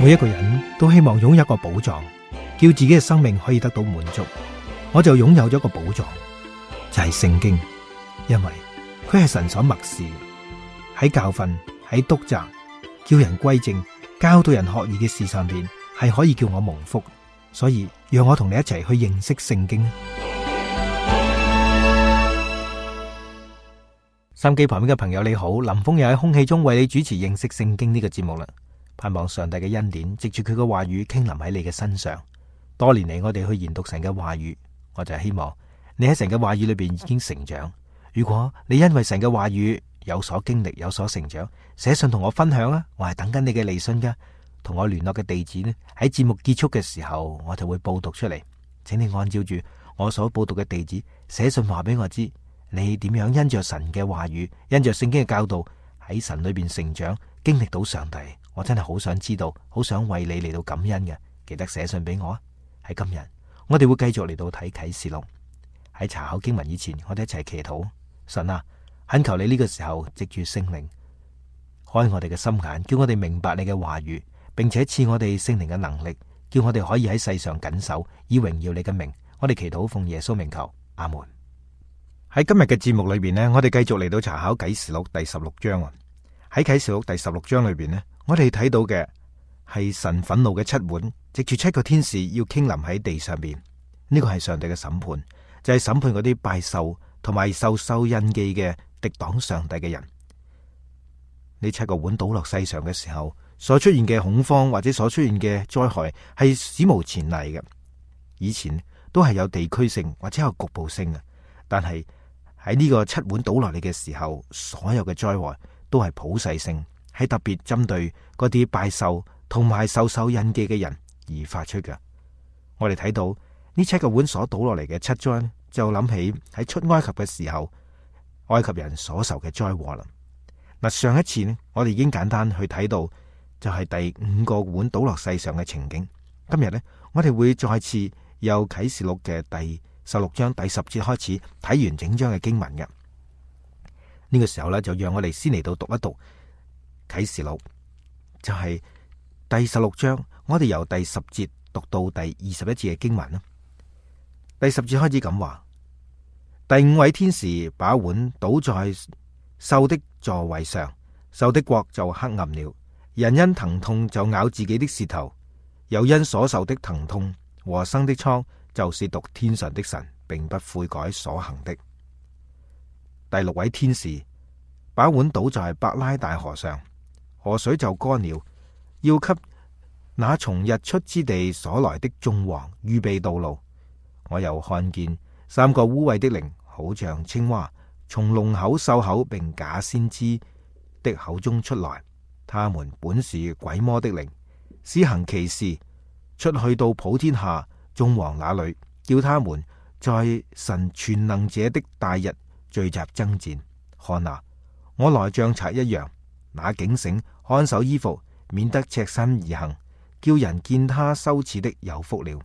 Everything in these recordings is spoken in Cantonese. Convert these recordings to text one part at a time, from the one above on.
每一個人都希望擁有一個寶藏，叫自己嘅生命可以得到滿足。我就擁有咗個寶藏，就係聖經，因為佢係神所默示，喺教訓、喺督責、叫人歸正、教導人學義嘅事上邊，係可以叫我蒙福。所以讓我同你一齊去認識聖經。收音機旁邊嘅朋友你好，林峰又喺空氣中為你主持認識聖經呢個節目啦。盼望上帝嘅恩典藉住佢嘅話語傾臨喺你嘅身上。多年嚟我哋去研讀神嘅話語，我就係希望你喺神嘅話語裏邊已經成長。如果你因為神嘅話語有所經歷、有所成長，寫信同我分享啊，我係等緊你嘅嚟信噶。同我聯絡嘅地址呢，喺節目結束嘅時候我就會報讀出嚟，請你按照住我所報讀嘅地址寫信話俾我知，你點樣因着神嘅話語、因着聖經嘅教導喺神裏邊成長，經歷到上帝。我真係好想知道，好想為你嚟到感恩嘅，記得寫信俾我啊！喺今日，我哋會繼續嚟到睇啟示錄。喺查考經文以前，我哋一齊祈禱。神啊，懇求你呢個時候藉住聖靈開我哋嘅心眼，叫我哋明白你嘅話語，並且賜我哋聖靈嘅能力，叫我哋可以喺世上謹守，以榮耀你嘅名。我哋祈禱奉耶穌名求，阿門。喺今日嘅節目裏邊呢，我哋繼續嚟到查考啟示錄第16章啊。喺啟示錄第16章裏邊呢，我哋睇到嘅係神憤怒嘅七碗，藉住7個天使要傾臨喺地上邊。呢個係上帝嘅審判，就係審判嗰啲拜獸同埋受印記嘅敵擋上帝嘅人。呢7個碗倒落世上嘅時候，所出現嘅恐慌或者所出現嘅災害係史無前例嘅。以前都係有地區性或者有局部性嘅，但係喺呢個7碗倒落嚟嘅時候，所有嘅災禍都係普世性，係特別針對嗰啲拜獸同埋受印記嘅人而發出嘅。我哋睇到呢7個碗所倒落嚟嘅7災，就諗起喺出埃及嘅時候，埃及人所受嘅災禍啦。嗱，上一次呢，我哋已經簡單去睇到，就係第5個碗倒落世上嘅情景。今日呢，我哋會再次由啟示錄嘅第16章第10節開始睇完整章嘅經文嘅。呢個時候呢，就讓我哋先嚟到讀一讀啟示錄，就係第16章，我哋由第10節讀到第21節嘅經文啦。第10節開始咁話：第5位天使把碗倒在獸的座位上，獸的國就黑暗了，人因疼痛就咬自己的舌頭，又因所受的疼痛和生的瘡，就褻瀆天上的神，並不悔改所行的。第6位天使把碗倒在伯拉大河上，河水就乾了，要給那從日出之地所來的眾王預備道路。我又看見3個污穢的靈，好像青蛙，從龍口、獸口並假先知的口中出來。他們本是鬼魔的靈，施行奇事，出去到普天下眾王那裏，叫他們在神全能者的大日聚集爭戰。看啊，我來像賊一樣，那警醒看守衣服，免得赤身而行，叫人見他羞恥的有福了。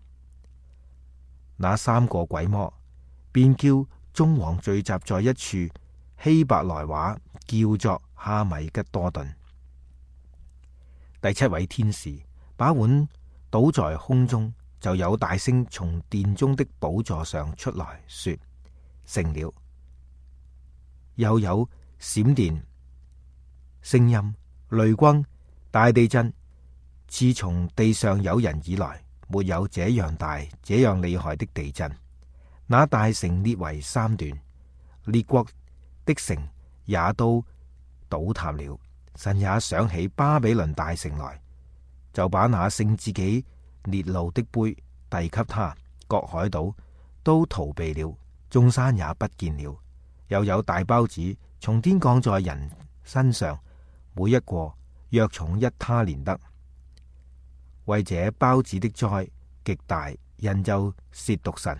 那3個鬼魔便叫眾王聚集在一處，希伯來話叫做哈米吉多頓。第7位天使把碗倒在空中，就有大聲從殿中的寶座上出來說：成了。又有閃電、聲音、雷轟、大地震。自從地上有人以來，沒有這樣大、這樣厲害的地震。那大城裂為3段，列國的城也都倒塌了。神也想起巴比倫大城來，就把那盛自己烈怒的杯遞給他，各海島都逃避了，眾山也不見了。又有大包子從天降在人身上，每一個約重1他連得。為這包子的災極大，人就褻瀆神。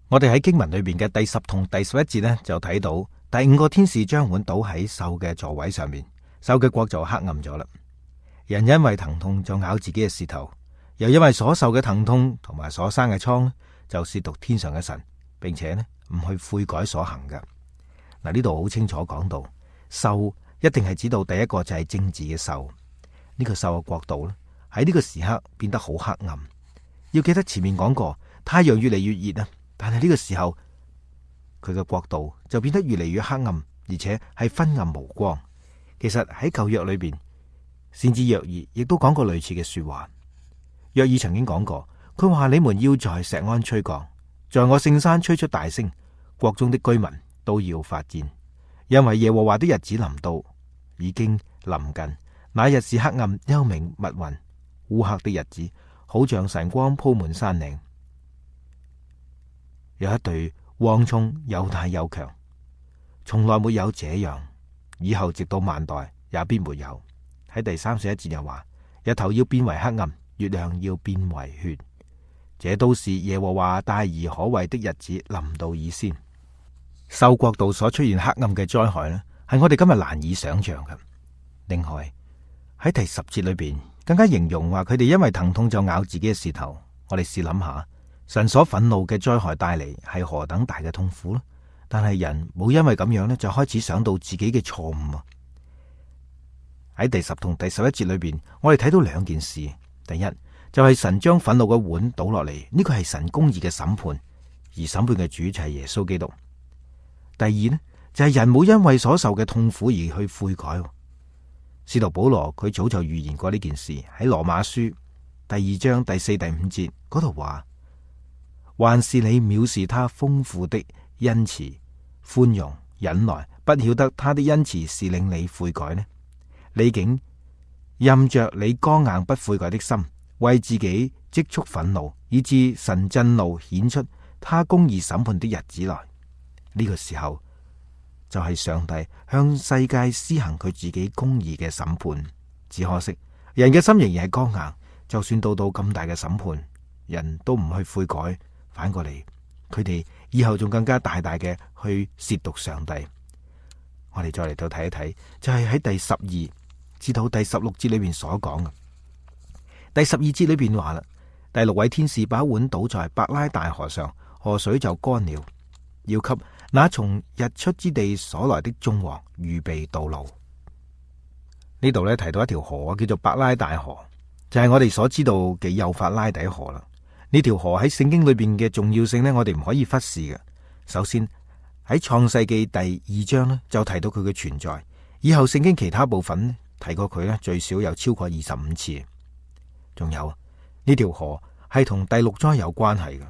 我哋喺經文裏邊嘅第10同第11節呢，就睇到第5個天使將碗倒喺獸嘅座位上面，獸嘅國就黑暗咗啦。人因為疼痛就咬自己嘅舌頭，又因為所受嘅疼痛同埋所生嘅瘡，就褻瀆天上嘅神，並且呢唔去悔改所行嘅。嗱，呢度好清楚講到，獸一定係指到第一個就係政治嘅獸。呢個獸嘅國度呢，喺呢個時刻變得好黑暗。要記得前面講過，太陽越嚟越熱啊，但係呢個時候佢嘅國度就變得越嚟越黑暗，而且係昏暗無光。其實喺舊約裏邊，先知約珥亦都講過類似嘅說話。約珥曾經講過，佢話你們要在錫安吹角，在我聖山吹出大聲，國中的居民都要發顫，因為耶和華的日子臨到，已經臨近。那日是黑暗、幽冥、密雲、烏黑的日子，好像晨光鋪滿山嶺。有一對蝗蟲又大又強，從來沒有這樣，以後直到萬代也必沒有。喺第31節又話，日頭要變為黑暗，月亮要變為血，這都是耶和華大而可畏的日子臨到以先。獸國度所出現黑暗嘅災害呢，係我哋今日難以想象嘅。另外喺第10節裏邊，更加形容話佢哋因為疼痛就咬自己嘅舌頭。我哋試諗下，神所憤怒嘅災害帶嚟係何等大嘅痛苦呢？但係人冇因為咁樣呢，就開始想到自己嘅錯誤啊！喺第10同第11節裏邊，我哋睇到兩件事。第一就係神將憤怒嘅碗倒落嚟，呢個係神公義嘅審判，而審判嘅主就係耶穌基督。第二呢，就係人冇因為所受嘅痛苦而去悔改。使徒保羅佢早就預言過呢件事，喺羅馬書第2章第4、第5節嗰度話，還是你藐視他豐富的恩慈、寬容、忍耐，不曉得他的恩慈是令你悔改呢？你竟任着你剛硬不悔改的心，為自己積蓄憤怒，以致神震怒，顯出他公義審判的日子來。呢個時候就係上帝向世界施行佢自己公義嘅審判。只可惜人嘅心仍然係剛硬，就算到咁大嘅審判，人都唔去悔改，反過嚟佢哋以後仲更加大大嘅去褻瀆上帝。我哋再嚟到睇一睇，就係喺第12至到第16節裏邊所講嘅。第12節裏邊話啦，第6位天使把碗倒在伯拉大河上，河水就乾了，要給那從日出之地所來的眾王預備道路。呢度咧提到一條河叫做伯拉大河，就係我哋所知道嘅幼發拉底河啦。呢條河喺聖經裏邊嘅重要性呢，我哋唔可以忽視嘅。首先喺創世記第2章呢，就提到佢嘅存在，以後聖經其他部分呢，提過佢呢，最少有超過25次。仲有呢條河係同第6災有關係嘅。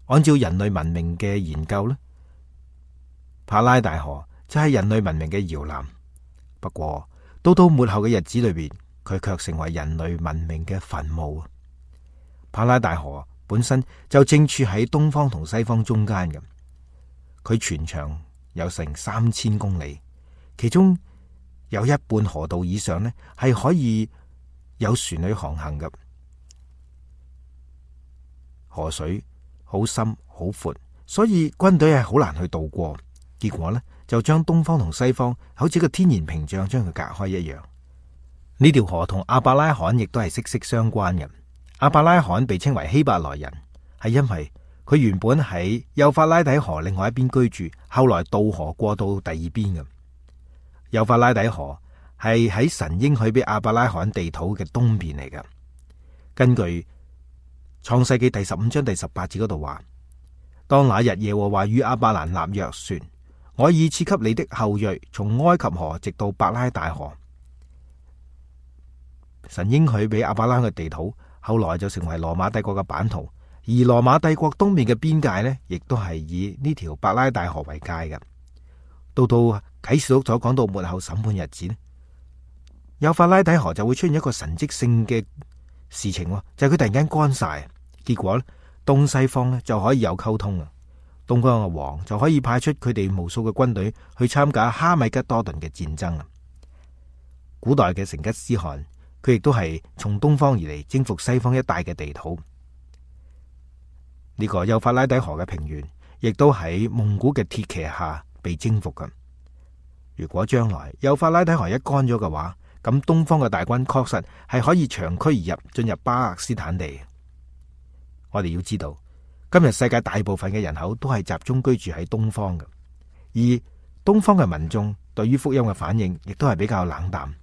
按照人類文明嘅研究呢，伯拉大河就係人類文明嘅搖籃。不過到末後嘅日子裏邊，佢卻成為人類文明嘅墳墓。伯拉大河本身就正處喺東方同西方中間嘅，佢全長有成3000公里，其中有一半河道以上呢係可以有船去航行嘅。河水好深好闊，所以軍隊係好難去渡過。結果呢，就將東方同西方好似個天然屏障將佢隔開一樣。呢條河同亞伯拉罕亦都係息息相關嘅。亞伯拉罕被稱為希伯來人，係因為佢原本喺幼發拉底河另外一邊居住，後來渡河過到第二邊嘅。幼發拉底河係喺神應許俾亞伯拉罕地土嘅東邊嚟嘅。根據創世記第15章第18節嗰度話，當那日耶和華與亞伯蘭立約說，我已賜給你的後裔從埃及河直到伯拉大河。神應許俾亞伯拉罕嘅地土，後來就成為羅馬帝國嘅版圖，而羅馬帝國東面嘅邊界呢，亦都係以呢條伯拉大河為界嘅。到啟示錄所講到末後審判日子呢，幼發拉底河就會出現一個神蹟性嘅事情，就係佢突然間乾晒，結果呢，東西方呢就可以有溝通啊。東方嘅王就可以派出佢哋無數嘅軍隊去參加哈米吉多頓嘅戰爭啊。古代嘅成吉思汗，佢亦都係從東方而嚟征服西方一帶嘅地土。呢個幼發拉底河嘅平原，亦都喺蒙古嘅鐵騎下被征服嘅。如果將來幼發拉底河一乾咗嘅話，咁東方嘅大軍確實係可以長驅而入，進入巴勒斯坦地。我哋要知道，今日世界大部分嘅人口都係集中居住喺東方嘅，而東方嘅民眾對於福音嘅反應亦都係比較冷淡，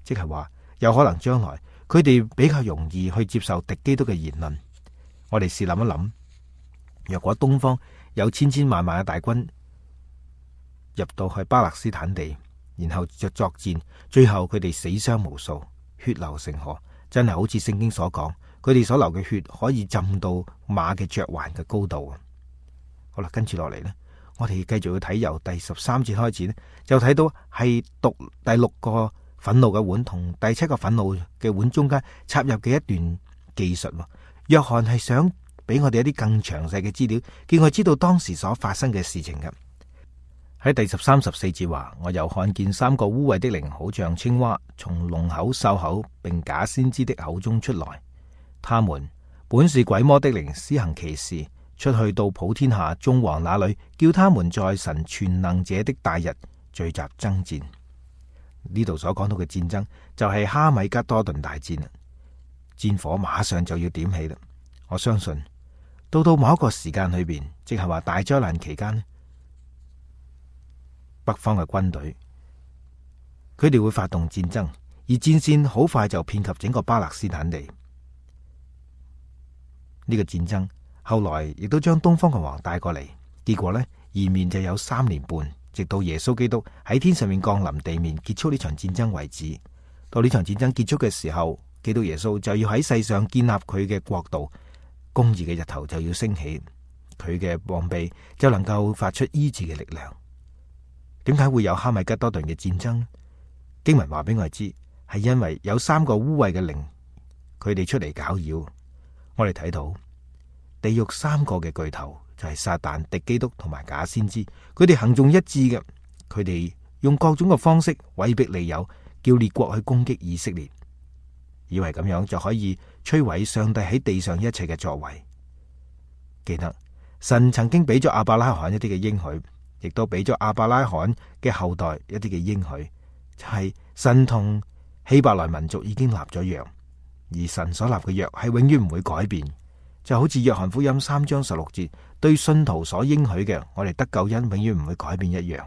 即係話有可能將來佢哋比較容易去接受敵基督嘅言論。我哋試諗一諗，若果東方有千千萬萬嘅大軍入到去巴勒斯坦地，然後就作戰，最後佢哋死傷無數，血流成河，真係好似聖經所講，佢哋所流嘅血可以浸到馬嘅嚼環嘅高度啊！好啦，跟住落嚟呢，我哋繼續要睇由第13節開始呢，就睇到係讀第6個憤怒嘅碗同第7個憤怒嘅碗中間插入嘅一段記述。約翰係想俾我哋一啲更詳細嘅資料，叫我知道當時所發生嘅事情嘅。喺第13、14節話，我又看見3個污穢的靈，好像青蛙，從龍口、獸口並假先知的口中出來。他們本是鬼魔的靈，施行奇事，出去到普天下眾王那裏，叫他們在神全能者的大日聚集爭戰。呢度所講到嘅戰爭就係哈米吉多頓大戰啦，戰火馬上就要點起啦。我相信到某一個時間裏邊，即係話大災難期間，北方嘅軍隊佢哋會發動戰爭，而戰線好快就遍及整個巴勒斯坦地。呢個戰爭後來亦都將東方嘅王帶過嚟，結果呢，延綿就有3年半，直到耶穌基督喺天上面降臨地面，結束呢場戰爭為止。到呢場戰爭結束嘅時候，基督耶穌就要喺世上建立佢嘅國度，公義嘅日頭就要升起，佢嘅膀臂就能夠發出醫治嘅力量。點解會有哈米吉多頓嘅戰爭？經文話俾我哋知，係因為有3個污穢嘅靈，佢哋出嚟攪擾。我哋睇到地獄3個嘅巨頭就係撒旦、敵基督同埋假先知，佢哋行動一致嘅，佢哋用各種嘅方式威逼利誘，叫列國去攻擊以色列，以為咁樣就可以摧毀上帝喺地上一切嘅作為。記得神曾經俾咗亞伯拉罕一啲嘅應許，亦都俾咗亞伯拉罕嘅後代一啲嘅應許，就係神同希伯來民族已經立咗約。而神所立嘅約係永遠唔會改變，就好似約翰福音3章16節對信徒所應許嘅，我哋得救恩永遠唔會改變一樣。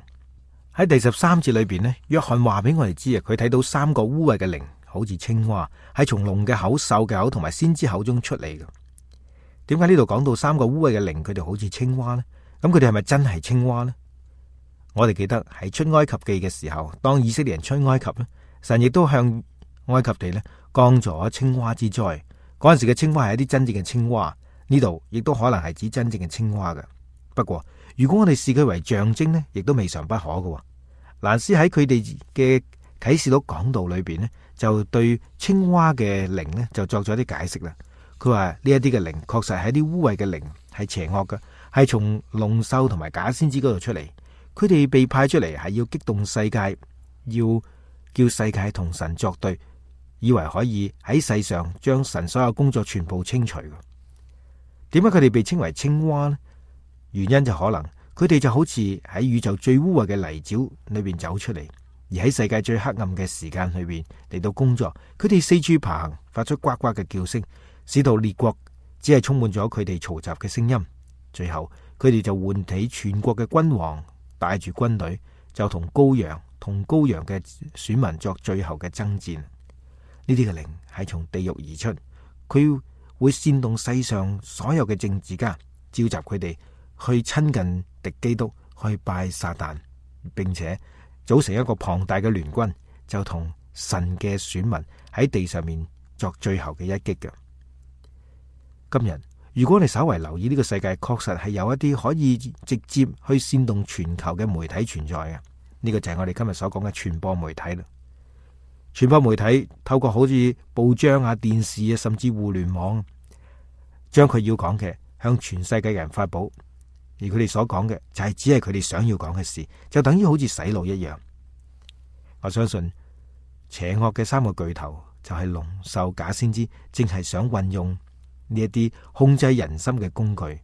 喺第13節裏邊呢，約翰話俾我哋知啊，佢睇到3個污穢嘅靈，好似青蛙，係從龍嘅口、獸嘅口同埋先知口中出嚟嘅。點解呢度講到3個污穢嘅靈，佢哋好似青蛙呢？咁佢哋係咪真係青蛙呢？我哋記得喺出埃及記嘅時候，當以色列人出埃及呢，神亦都向埃及地呢降咗青蛙之災。嗰陣時嘅青蛙係一啲真正嘅青蛙，呢度亦都可能係指真正嘅青蛙嘅。不過如果我哋視佢為象徵呢，亦都未嘗不可嘅。蘭斯喺佢哋嘅啟示錄講道裏邊呢，就對青蛙嘅靈呢就作咗一啲解釋啦。佢話呢一啲嘅靈確實係一啲污穢嘅靈，係邪惡嘅，係從龍獸同埋假先知嗰度出嚟。佢哋被派出嚟係要激動世界，要叫世界同神作對，以為可以喺世上將神所有工作全部清除。點解佢哋被稱為青蛙呢？原因就可能佢哋就好似喺宇宙最污穢嘅泥沼裏邊走出嚟，而喺世界最黑暗嘅時間裏邊嚟到工作。佢哋四處爬行，發出呱呱嘅叫聲，使到列國只係充滿咗佢哋嘈雜嘅聲音。最後佢哋就喚起全國嘅君王，帶住軍隊就同羔羊嘅選民作最後嘅爭戰。呢啲嘅靈係從地獄而出，佢會煽動世上所有嘅政治家，召集佢哋去親近敵基督，去拜撒旦，並且組成一個龐大嘅聯軍，就同神嘅選民喺地上面作最後嘅一擊嘅。今日如果你稍為留意呢個世界，確實係有一啲可以直接去煽動全球嘅媒體存在嘅。呢個就係我哋今日所講嘅傳播媒體啦。傳播媒體透過好似報章啊、電視啊，甚至互聯網，將佢要講嘅向全世界嘅人發佈，而佢哋所講嘅就係只係佢哋想要講嘅事，就等於好似洗腦一樣。我相信邪惡嘅3個巨頭就係龍、獸、假先知，正係想運用呢一啲控制人心嘅工具，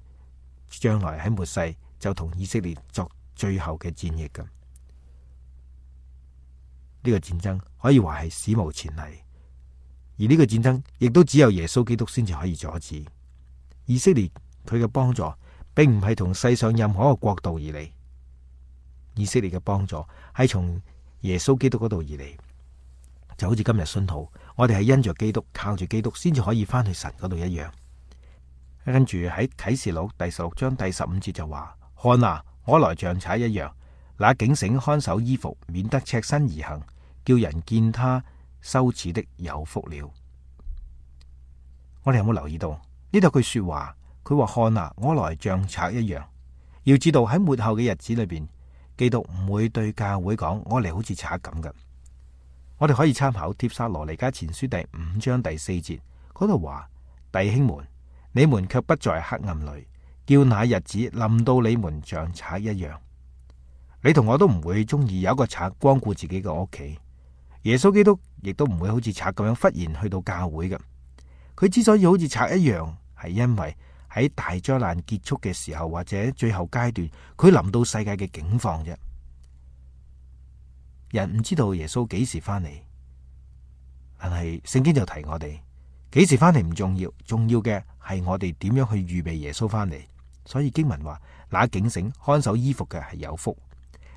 將來喺末世就同以色列作最後嘅戰役嘅。呢個戰爭可以話係史無前例，而呢個戰爭亦都只有耶穌基督先至可以阻止。以色列佢嘅幫助並唔係同世上任何一個國度而嚟，以色列嘅幫助係從耶穌基督嗰度而嚟，就好似今日信徒，我哋係因着基督，靠住基督，先至可以翻去神嗰度一樣。跟住喺啟示錄第16章第15節就話：看啊，我來像賊一樣，那警醒看守衣服，免得赤身而行，叫人見他羞恥的有福了。我哋有冇留意到呢度句說話？佢話：看啊，我來像賊一樣。要知道喺末後嘅日子裏邊，基督唔會對教會講我嚟好似賊咁嘅。我哋可以參考帖撒羅尼迦前書第5章第4節嗰度話：弟兄們，你們卻不在黑暗裏，叫那日子臨到你們像賊一樣。你同我都唔會中意有一個賊光顧自己嘅屋企。耶穌基督亦都唔會好似賊咁樣忽然去到教會嘅。佢之所以好似賊一樣，係因為喺大災難結束嘅時候，或者最後階段，佢臨到世界嘅境況啫。人唔知道耶穌幾時翻嚟，但係聖經就提我哋，幾時翻嚟唔重要，重要嘅係我哋點樣去預備耶穌翻嚟。所以經文話：那警醒看守衣服嘅係有福。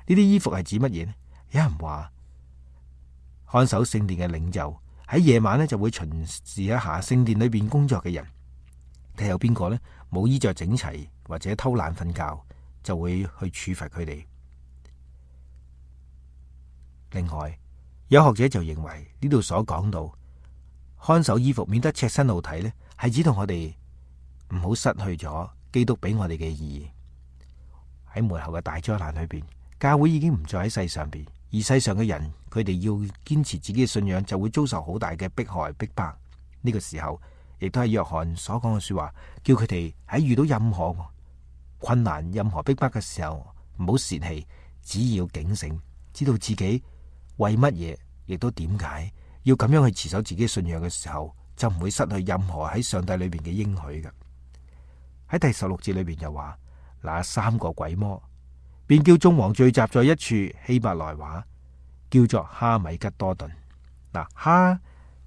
呢啲衣服係指乜嘢呢？有人話看守聖殿嘅領袖喺夜晚呢就會巡視一下聖殿裏邊工作嘅人，睇有邊個呢冇衣着整齊或者偷懶瞓覺，就會去處罰佢哋。另外，有學者就認為呢度所講到看守衣服免得赤身露體呢，係指到我哋唔好失去咗基督俾我哋嘅意義。喺末後嘅大災難裏邊，教會已經唔再喺世上邊，而世上嘅人佢哋要堅持自己嘅信仰，就會遭受好大嘅迫害逼迫。呢個時候，亦都係約翰所講嘅說話，叫佢哋喺遇到任何困難、任何逼迫嘅時候，唔好洩氣，只要警醒，知道自己為乜嘢，亦都點解要咁樣去持守自己信仰嘅時候，就唔會失去任何喺上帝裏邊嘅應許嘅。喺第16節裏邊就話：那3個鬼魔便叫眾王聚集在一處，希伯來話叫做哈米吉多頓。嗱，哈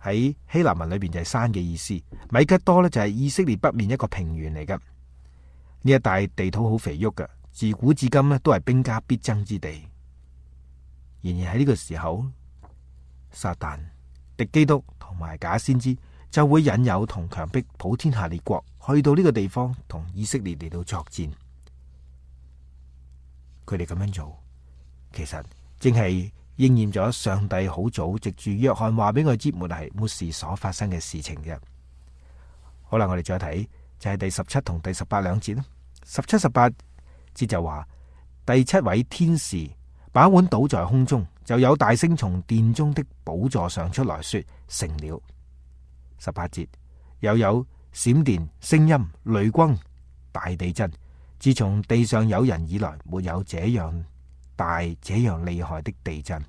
喺希臘文裏邊就係山嘅意思，米吉多呢就係以色列北面一個平原嚟噶。呢一帶地土好肥沃噶，自古至今呢都係兵家必爭之地。然而喺呢個時候，撒旦、敵基督同埋假先知就會引誘同強迫普天下列國去到呢個地方同以色列嚟到作戰。佢哋咁樣做，其實正係應驗咗上帝好早藉住約翰話俾我知末世所發生嘅事情嘅。好啦，我哋再睇就係第17同第18兩節啦。17、18節就話：第7位天使把碗倒在空中，就有大聲從殿中的寶座上出來說：成了。18節又有閃電、聲音、雷轟、大地震。自從地上有人以來，沒有這樣大、這樣厲害的地震。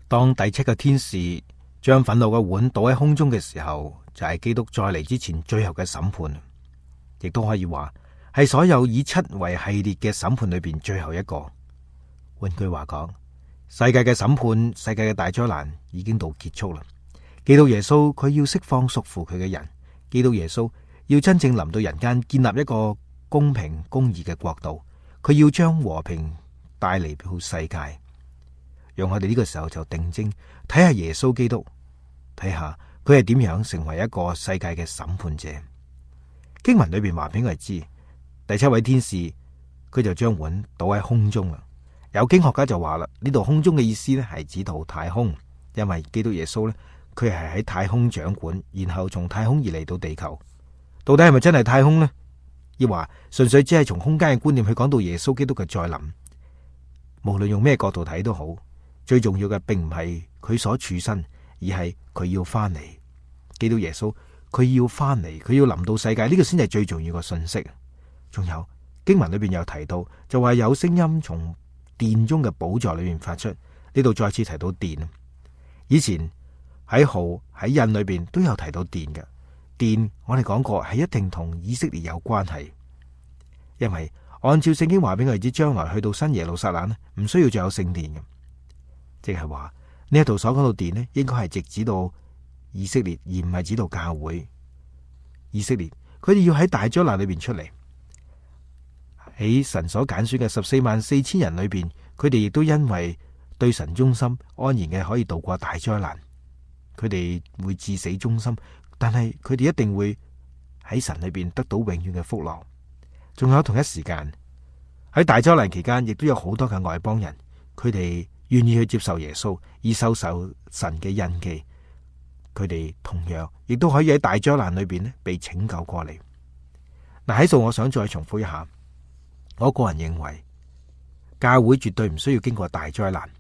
當第7個天使將憤怒嘅碗倒喺空中嘅時候，就係基督再嚟之前最後嘅審判，亦都可以話係所有以7為系列嘅審判裏邊最後一個。換句話講，世界嘅審判、世界嘅大災難已經到結束啦。基督耶穌佢要釋放屬乎佢嘅人，基督耶穌要真正臨到人間，建立一個公平公義嘅國度，佢要將和平帶嚟到世界。讓我哋呢個時候就定睛睇下耶穌基督，睇下佢係點樣成為一個世界嘅審判者。經文裏邊話俾我哋知，第7位天使佢就將碗倒喺空中啦。有經學家就話啦，呢度空中嘅意思呢係指到太空，因為基督耶穌呢，佢係喺太空掌管，然後從太空而嚟到地球。到底係咪真係太空呢？亦話純粹只係從空間嘅觀念去講到耶穌基督嘅再臨。無論用咩角度睇都好，最重要嘅並唔係佢所處身，而係佢要翻嚟。基督耶穌佢要翻嚟，佢要臨到世界，呢個先係最重要嘅信息。仲有經文裏邊有提到，就話有聲音從殿中嘅寶座裏面發出，呢度再次提到殿。以前喺號喺印裏邊都有提到殿嘅。殿我哋講過係一定同以色列有關係，因為按照聖經話俾我哋知，將來去到新耶路撒冷呢，唔需要再有聖殿嘅，即係話呢一度所講到殿呢，應該係直指到以色列，而唔係指到教會。以色列佢哋要喺大災難裏邊出嚟，喺神所揀選嘅144000人裏邊，佢哋亦都因為對神忠心，安然嘅可以度過大災難。佢哋會至死忠心，但係佢哋一定會喺神裏邊得到永遠嘅福樂。仲有同一時間喺大災難期間，亦都有好多嘅外邦人，佢哋願意去接受耶穌，而受神嘅印記。佢哋同樣亦都可以喺大災難裏邊被拯救過嚟。嗱，喺度我想再重複一下，我個人認為教會絕對唔需要經過大災難，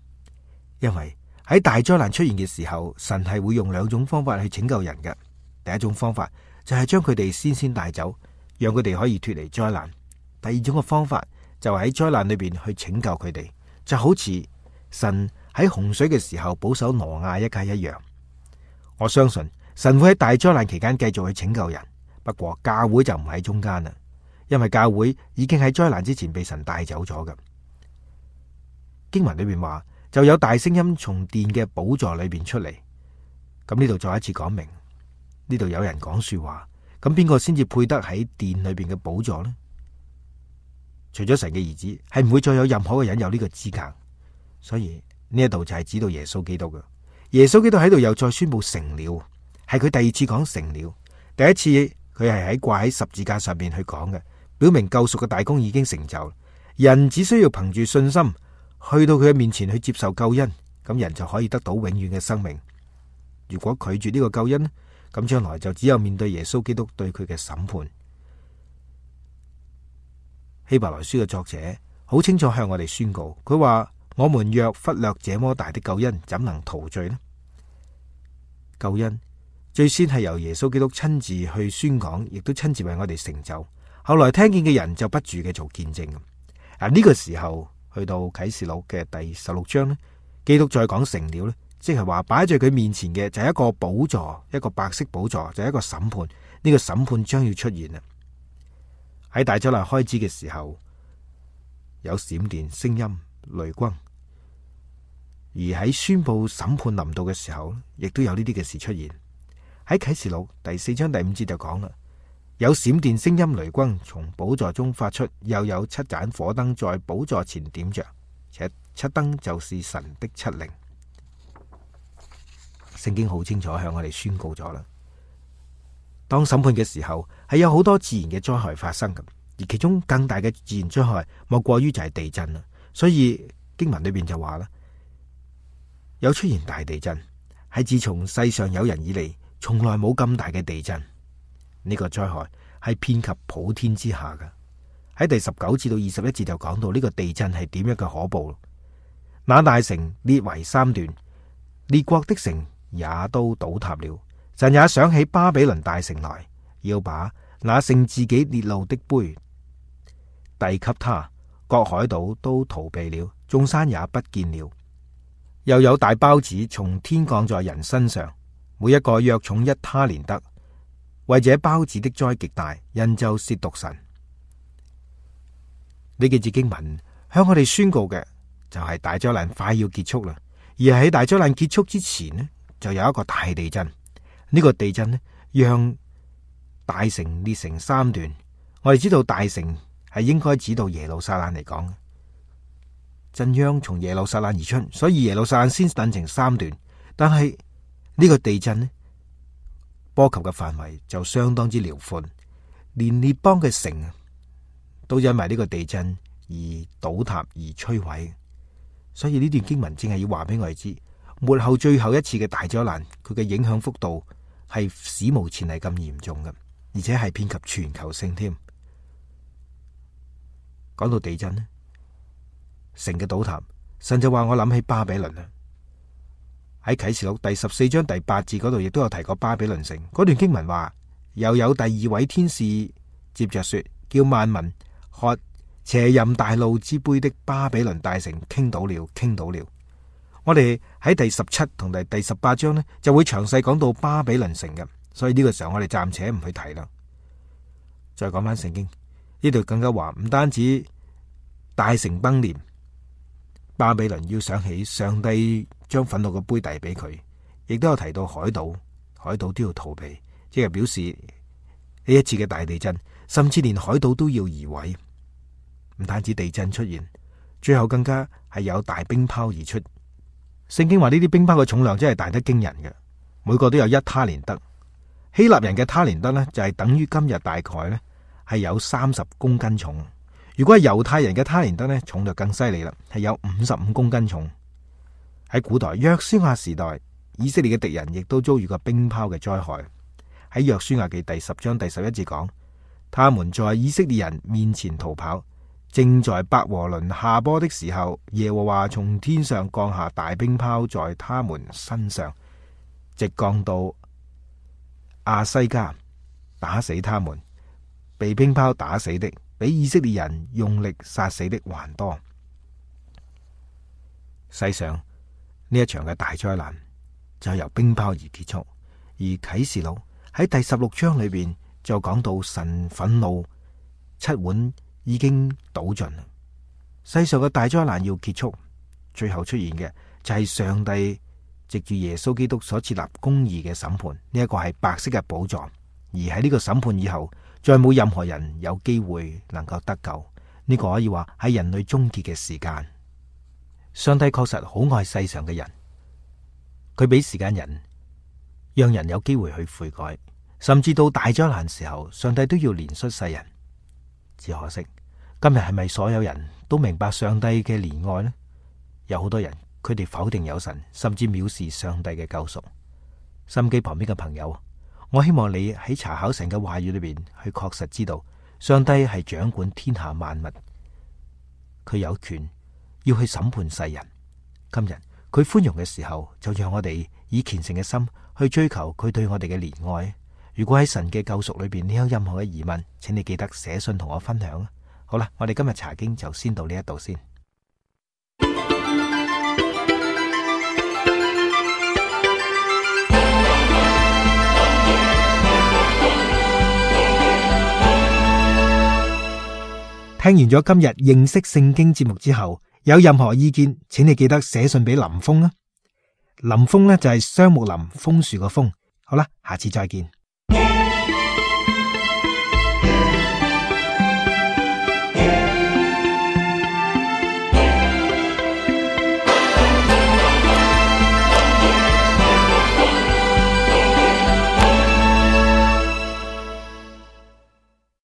因為喺大災難出現嘅時候，神係會用兩種方法去拯救人嘅。第一種方法就係將佢哋先帶走，讓佢哋可以脫離災難。第二種嘅方法就係喺災難裏邊去拯救佢哋，就好似神喺洪水嘅時候保守挪亞一家一樣。我相信神會喺大災難期間繼續去拯救人，不過教會就唔喺中間啦，因為教會已經喺災難之前被神帶走咗嘅。經文裏邊話，就有大聲音從殿嘅寶座裏邊出嚟。咁呢度再一次講明，呢度有人講說話，咁邊個先至配得喺殿裏邊嘅寶座呢？除咗神嘅兒子，係唔會再有任何嘅人有呢個資格。所以呢一度就係指到耶穌基督嘅。耶穌基督喺度又再宣布成了，係佢第二次講成了。第一次佢係喺掛喺十字架上面去講嘅，表明救贖嘅大功已經成就，人只需要憑住信心去到佢嘅面前去接受救恩，咁人就可以得到永遠嘅生命。如果拒絕呢個救恩，咁將來就只有面對耶穌基督對佢嘅審判。希伯來書嘅作者好清楚向我哋宣告，佢話，我們若忽略這麼大的救恩，怎能逃罪呢？救恩最先係由耶穌基督親自去宣講，亦都親自為我哋成就。後來聽見嘅人就不住嘅做見證。呢個時候去到啟示錄嘅第16章呢，基督再講成了呢，即係話擺在佢面前嘅就係一個寶座，一個白色寶座，就係一個審判。呢個審判將要出現啦。喺大災難開始嘅時候，有閃電、聲音、雷轟。而喺宣布審判臨到嘅時候，亦都有呢啲嘅事出現。喺啟示錄第4章第5節就講啦，有閃電、聲音、雷轟從寶座中發出，又有7盞火燈在寶座前點着，且7燈就是神的7靈。聖經好清楚向我哋宣告咗啦。當審判嘅時候，係有好多自然嘅災害發生嘅，而其中更大嘅自然災害莫過於就係地震啦。所以經文裏邊就話啦，有出現大地震，係自從世上有人以嚟，從來冇咁大嘅地震。呢個災害係遍及普天之下嘅。喺第19至到21節就講到呢個地震係點樣嘅可怖。那大城裂為3段，列國的城也都倒塌了。神也想起巴比倫大城來，要把那盛自己烈怒的杯遞給他。各海島都逃避了，眾山也不見了。又有大雹子從天降在人身上，每一個約重1他連得。為這雹子的災極大，人就褻瀆神。呢幾節經文向我哋宣告嘅就係大災難快要結束啦。而喺大災難結束之前呢，就有一個大地震。呢個地震呢，讓大城裂成3段。我哋知道大城係應該指到耶路撒冷嚟講，震央從耶路撒冷而出，所以耶路撒冷先分成3段。但係呢個地震呢，波及嘅範圍就相當之遼闊，連列邦嘅城都因為呢個地震而倒塌而摧毀。所以呢段經文正係要話俾我哋知，末後最後一次嘅大災難，佢嘅影響幅度係史無前例咁嚴重嘅，而且係遍及全球性添。講到地震呢，城嘅倒塌，神就話我諗起巴比倫啦。喺啟示錄第14章第8節嗰度，亦都有提過巴比倫城。嗰段經文話，又有第2位天使接着說，叫萬民喝邪淫大怒之杯的巴比倫大城傾倒了，傾倒了。我哋喺第17同第18章呢，就會詳細講到巴比倫城嘅，所以呢個時候我哋暫且唔去提啦。再講翻聖經呢度更加話，唔單止大城崩裂，巴比倫要想起上帝將憤怒嘅杯遞俾佢，亦都有提到海島，海島都要逃避，即係表示呢一次嘅大地震，甚至連海島都要移位。唔單止地震出現，最後更加係有大冰雹而出。聖經話呢啲冰雹嘅重量真係大得驚人嘅，每個都有1他連得。希臘人嘅他連得呢，就係等於今日大概呢係有30公斤重。如果係猶太人嘅他連得呢，重就更犀利啦，係有55公斤重。喺古代約書亞時代，以色列嘅敵人亦都遭遇過冰雹嘅災害。喺約書亞記第10章第11節講，他們在以色列人面前逃跑，正在伯和崙下坡的時候，耶和華從天上降下大冰雹在他們身上，直降到亞西加，打死他們。被冰雹打死的，比以色列人用力殺死的還多。世上呢一場嘅大災難就由冰雹而結束。而啟示錄喺第16章裏邊就講到神憤怒，7碗已經倒盡。世上嘅大災難要結束，最後出現嘅就係上帝藉住耶穌基督所設立公義嘅審判。呢一個係白色嘅寶座，而喺呢個審判以後，再冇任何人有機會能夠得救。呢個可以話係人類終結嘅時間。上帝確實好愛世上嘅人，佢俾時間人，讓人有機會去悔改，甚至到大災難時候，上帝都要憐恤世人。只可惜今日係咪所有人都明白上帝嘅憐愛呢？有好多人佢哋否定有神，甚至藐視上帝嘅救贖。心機旁邊嘅朋友，我希望你喺查考神嘅話語裏邊去確實知道，上帝係掌管天下萬物，佢有權要去審判世人。今日佢寬容嘅時候，就讓我哋以虔誠嘅心去追求佢對我哋嘅憐愛。如果喺神嘅救贖裏邊你有任何嘅疑問，請你記得寫信同我分享。好啦，我哋今日查經就先到呢一度先。聽完咗今日認識聖經節目之後，有任何意見，請你記得寫信俾林峰啦。林峰呢就係雙木林，楓樹個楓。好啦，下次再見。